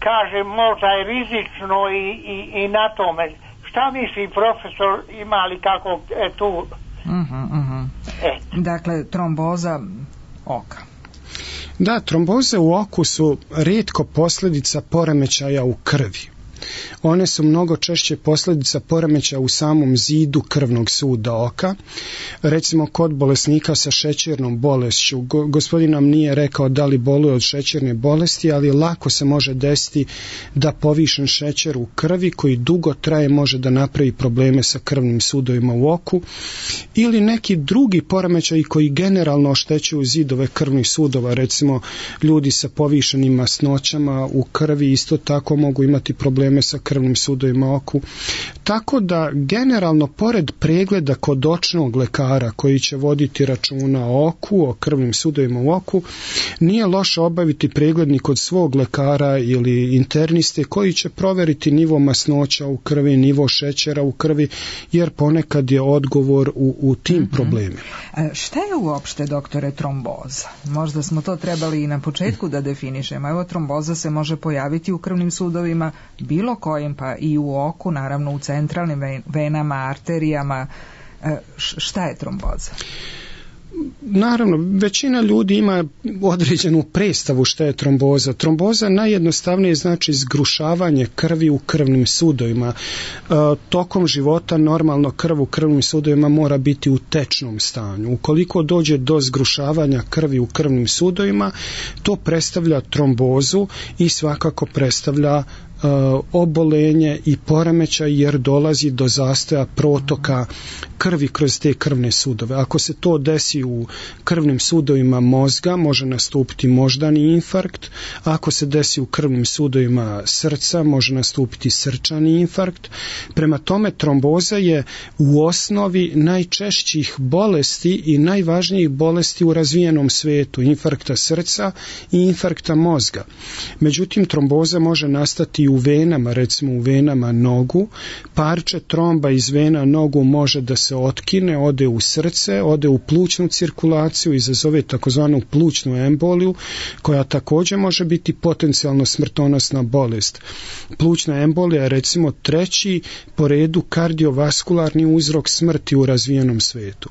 T: kaže možda je rizično i, i, i na tome. Šta misli profesor, ima li kako e, tu?
C: Uh-huh, uh-huh. E. Dakle, tromboza oka.
D: Da, tromboze u oku su rijetko posljedica poremećaja u krvi. One su mnogo češće posljedica poremećaja u samom zidu krvnog suda oka. Recimo kod bolesnika sa šećernom bolešću, go, gospodin nam nije rekao da li boluje od šećerne bolesti, ali lako se može desiti da povišen šećer u krvi koji dugo traje može da napravi probleme sa krvnim sudovima u oku, ili neki drugi poremećaji koji generalno oštećuju zidove krvnih sudova. Recimo ljudi sa povišenim masnoćama u krvi isto tako mogu imati probleme probleme sa krvnim sudovima u oku. Tako da generalno pored pregleda kod očnog lekara koji će voditi računa o oku, o krvnim sudovima u oku, nije loše obaviti preglednik kod svog lekara ili interniste koji će proveriti nivo masnoća u krvi, nivo šećera u krvi, jer ponekad je odgovor u, u tim mm-hmm. problemima.
C: A šta je uopšte, doktore, tromboza? Možda smo to trebali i na početku da definišemo. Evo, tromboza se može pojaviti u krvnim sudovima, bilo kojim, pa i u oku, naravno u centralnim venama, arterijama. Šta je tromboza?
D: Naravno, većina ljudi ima određenu predstavu šta je tromboza. Tromboza najjednostavnije znači zgrušavanje krvi u krvnim sudovima. E, tokom života normalno krv u krvnim sudovima mora biti u tečnom stanju. Ukoliko dođe do zgrušavanja krvi u krvnim sudovima, to predstavlja trombozu i svakako predstavlja obolenje i poremećaj, jer dolazi do zastoja protoka krvi kroz te krvne sudove. Ako se to desi u krvnim sudovima mozga, može nastupiti moždani infarkt. Ako se desi u krvnim sudovima srca, može nastupiti srčani infarkt. Prema tome, tromboza je u osnovi najčešćih bolesti i najvažnijih bolesti u razvijenom svetu, infarkta srca i infarkta mozga. Međutim, tromboza može nastati u venama, recimo u venama nogu. Parče tromba iz vena nogu može da se otkine, ode u srce, ode u plućnu cirkulaciju, izazove takozvanu plućnu emboliju, koja također može biti potencijalno smrtonosna bolest. Plućna embolija je recimo treći po redu kardiovaskularni uzrok smrti u razvijenom svetu.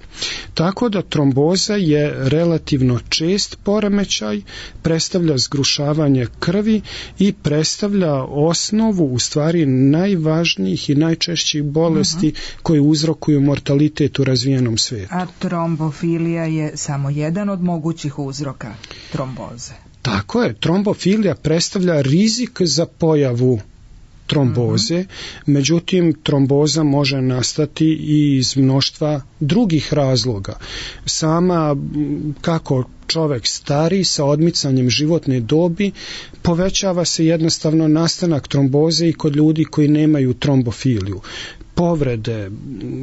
D: Tako da tromboza je relativno čest poremećaj, predstavlja zgrušavanje krvi i predstavlja osnovu u stvari najvažnijih i najčešćih bolesti uh-huh. koje uzrokuju mortalitet u razvijenom svijetu.
C: A trombofilija je samo jedan od mogućih uzroka tromboze.
D: Tako je, trombofilija predstavlja rizik za pojavu tromboze, mm-hmm. međutim tromboza može nastati i iz mnoštva drugih razloga. Sama kako čovjek stari sa odmicanjem životne dobi, povećava se jednostavno nastanak tromboze i kod ljudi koji nemaju trombofiliju. Povrede,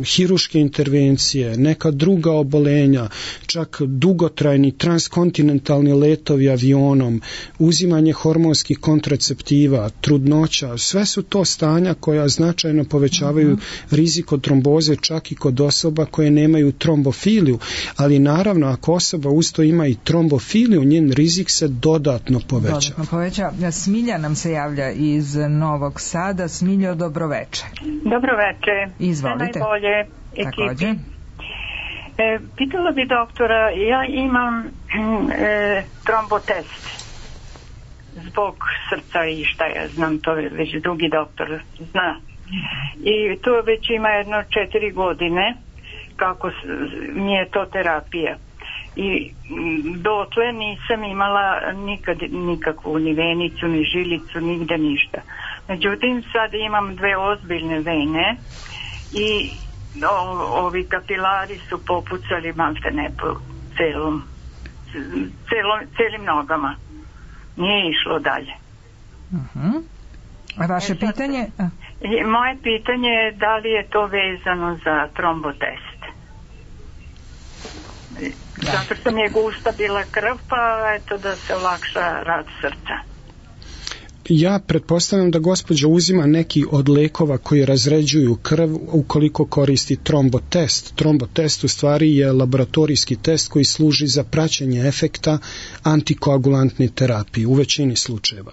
D: hiruške intervencije, neka druga obolenja, čak dugotrajni transkontinentalni letovi avionom, uzimanje hormonskih kontraceptiva, trudnoća, sve su to stanja koja značajno povećavaju mm-hmm. rizik od tromboze čak i kod osoba koje nemaju trombofiliju, ali naravno ako osoba usto ima i trombofiliju, njen rizik se dodatno poveća.
C: Dodatno poveća. Smilja nam se javlja iz Novog Sada. Smiljo, dobroveče.
U: Dobroveče.
C: Izvolite.
U: Sve najbolje ekipi. E, pitala bi doktora, ja imam e, trombotest zbog srca i šta ja znam, to je već drugi doktor zna. I to već ima jedno četiri godine kako mi je to terapija. I dotle nisam imala nikad nikakvu ni venicu, ni žilicu, nigde ništa. Međutim, sad imam dve ozbiljne vene i o, ovi kapilari su popucali malte ne po celom, celom, celim nogama. Nije išlo dalje.
C: Uh-huh. A vaše e, pitanje? A.
U: Moje pitanje je da li je to vezano za trombotest. Da. Zato što mi je gusta bila krv, pa eto da se olakša rad srca.
D: Ja pretpostavljam da gospođa uzima neki od lekova koji razređuju krv ukoliko koristi trombotest. Trombotest u stvari je laboratorijski test koji služi za praćenje efekta antikoagulantne terapije u većini slučajeva.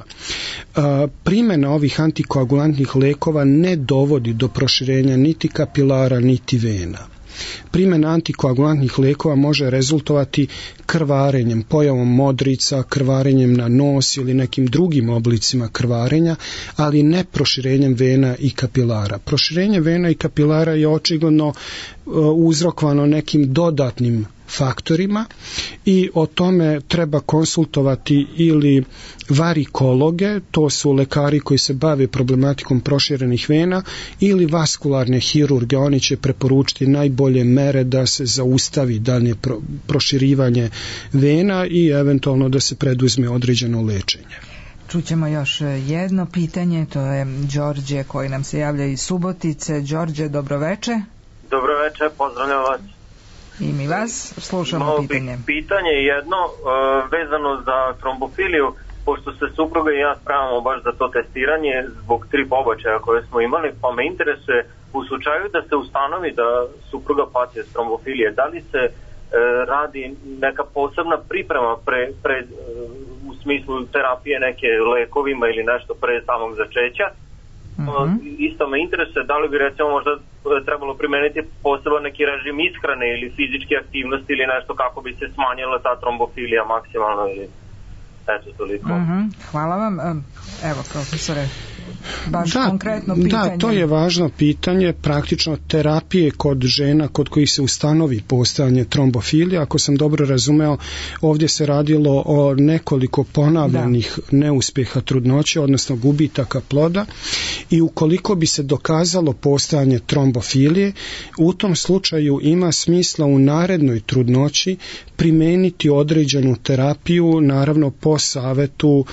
D: Primjena ovih antikoagulantnih lekova ne dovodi do proširenja niti kapilara niti vena. Primjena antikoagulantnih lekova može rezultovati krvarenjem, pojavom modrica, krvarenjem na nos ili nekim drugim oblicima krvarenja, ali ne proširenjem vena i kapilara. Proširenje vena i kapilara je očigledno uh, uzrokovano nekim dodatnim faktorima i o tome treba konsultovati ili varikologe, to su lekari koji se bave problematikom proširenih vena, ili vaskularne hirurge, oni će preporučiti najbolje mere da se zaustavi dalje pro, proširivanje vena i eventualno da se preduzme određeno lečenje.
C: čućemo još jedno pitanje, to je Đorđe koji nam se javlja iz Subotice. Đorđe, dobroveče.
B: Dobroveče, pozdravljam vas.
C: I mi vas, slušamo
B: Malo
C: pitanje.
B: Pitanje je jedno, uh, vezano za trombofiliju, pošto se supruga i ja spravamo baš za to testiranje zbog tri pobačaja koje smo imali, pa me interesuje u slučaju da se ustanovi da supruga pati od trombofilije, da li se uh, radi neka posebna priprema pre, pre, uh, u smislu terapije neke lekovima ili nešto pre samog začeća? Mm-hmm. Isto me interesuje da li bi recimo možda trebalo primeniti poseban neki režim ishrane ili fizičke aktivnosti ili nešto kako bi se smanjila ta trombofilija maksimalno ili eto toliko.
C: Mm-hmm. Hvala vam. Evo profesore, baš
D: da,
C: konkretno pitanje.
D: Da, to je važno pitanje, praktično terapije kod žena kod kojih se ustanovi postojanje trombofilije. Ako sam dobro razumeo, ovdje se radilo o nekoliko ponavljanih da. neuspjeha trudnoće, odnosno gubitaka ploda, i ukoliko bi se dokazalo postojanje trombofilije, u tom slučaju ima smisla u narednoj trudnoći primijeniti određenu terapiju, naravno po savjetu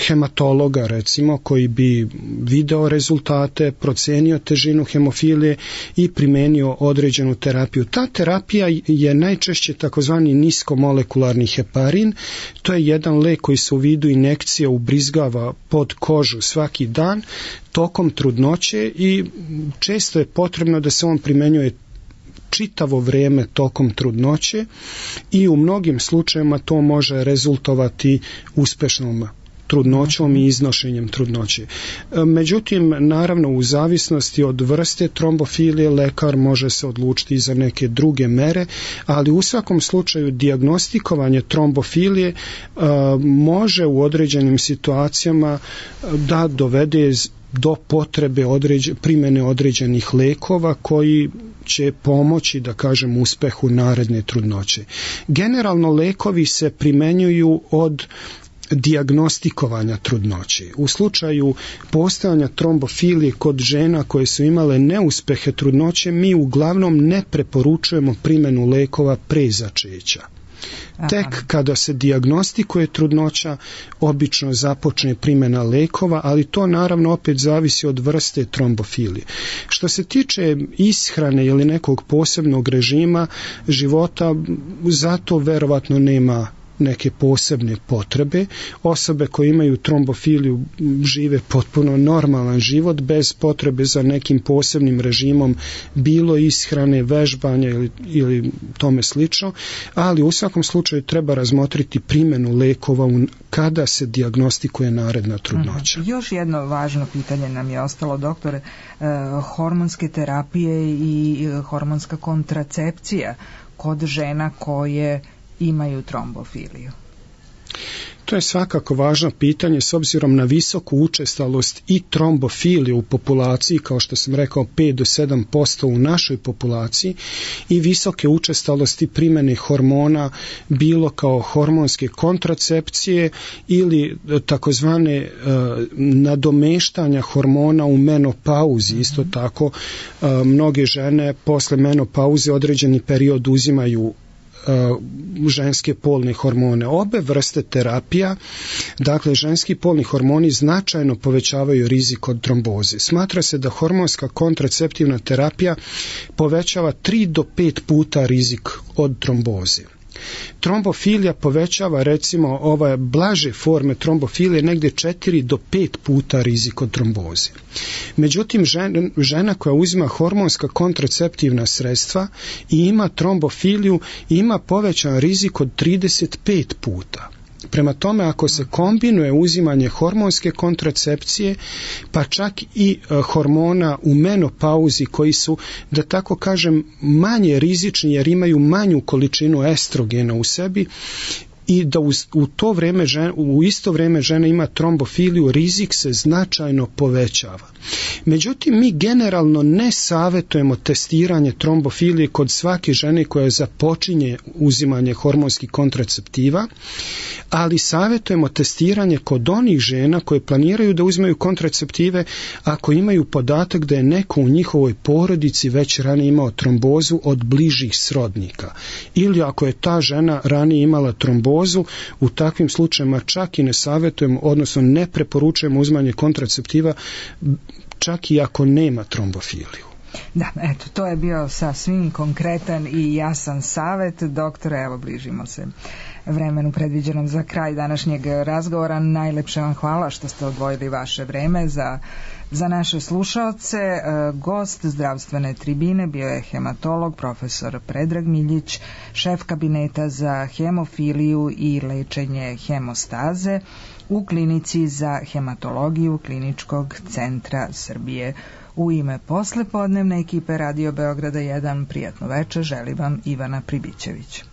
D: hematologa recimo, koji bi video rezultate, procenio težinu hemofilije i primenio određenu terapiju. Ta terapija je najčešće takozvani niskomolekularni heparin. To je jedan lek koji se u vidu injekcije ubrizgava pod kožu svaki dan tokom trudnoće i često je potrebno da se on primenjuje čitavo vrijeme tokom trudnoće i u mnogim slučajevima to može rezultovati uspješnom trudnoćom i iznošenjem trudnoće. Međutim, naravno u zavisnosti od vrste trombofilije lekar može se odlučiti za neke druge mere, ali u svakom slučaju dijagnostikovanje trombofilije uh, može u određenim situacijama da dovede do potrebe određ, primjene određenih lekova koji će pomoći, da kažem, uspehu naredne trudnoće. Generalno lekovi se primjenjuju od dijagnostikovanja trudnoće. U slučaju postojanja trombofilije kod žena koje su imale neuspehe trudnoće, mi uglavnom ne preporučujemo primjenu lekova pre začeća. Tek kada se dijagnostikuje trudnoća, obično započne primjena lekova, ali to naravno opet zavisi od vrste trombofilije. Što se tiče ishrane ili nekog posebnog režima života, zato verovatno nema neke posebne potrebe. Osobe koje imaju trombofiliju žive potpuno normalan život bez potrebe za nekim posebnim režimom, bilo ishrane, vežbanja ili, ili tome slično, ali u svakom slučaju treba razmotriti primjenu lekova kada se dijagnostikuje naredna trudnoća.
C: Aha. Još jedno važno pitanje nam je ostalo, doktore, e, hormonske terapije i hormonska kontracepcija kod žena koje imaju trombofiliju.
D: To je svakako važno pitanje s obzirom na visoku učestalost i trombofilije u populaciji, kao što sam rekao pet do sedam posto u našoj populaciji, i visoke učestalosti primjene hormona, bilo kao hormonske kontracepcije ili takozvane e, nadomeštanja hormona u menopauzi. Isto tako e, mnoge žene posle menopauze određeni period uzimaju ženske polne hormone. Obe vrste terapija, dakle ženski polni hormoni, značajno povećavaju rizik od tromboze. Smatra se da hormonska kontraceptivna terapija povećava tri do pet puta rizik od tromboze. Trombofilija povećava, recimo, ove blaže forme trombofilije negdje četiri do pet puta rizik od tromboze. Međutim, žena, žena koja uzima hormonska kontraceptivna sredstva i ima trombofiliju ima povećan rizik od trideset pet puta. Prema tome, ako se kombinuje uzimanje hormonske kontracepcije, pa čak i e, hormona u menopauzi koji su, da tako kažem, manje rizični jer imaju manju količinu estrogena u sebi, i da u, u to vrijeme žena, u isto vrijeme žena ima trombofiliju, rizik se značajno povećava. Međutim, mi generalno ne savjetujemo testiranje trombofilije kod svake žene koja započinje uzimanje hormonskih kontraceptiva, ali savjetujemo testiranje kod onih žena koje planiraju da uzimaju kontraceptive ako imaju podatak da je neko u njihovoj porodici već ranije imao trombozu od bližih srodnika, ili ako je ta žena ranije imala trombozu trombozu, u takvim slučajevima čak i ne savjetujemo, odnosno ne preporučujemo uzimanje kontraceptiva, čak i ako nema trombofiliju.
C: Da, eto, to je bio sasvim konkretan i jasan savjet. Doktore, evo, bližimo se vremenu predviđenom za kraj današnjeg razgovora. Najlepše vam hvala što ste odvojili vaše vreme za, za naše slušaoce. E, gost zdravstvene tribine bio je hematolog profesor Predrag Miljić, šef kabineta za hemofiliju i lečenje hemostaze u klinici za hematologiju Kliničkog centra Srbije. U ime poslepodnevne ekipe Radio Beograda jedan, prijatno večer želi vam Ivana Pribićević.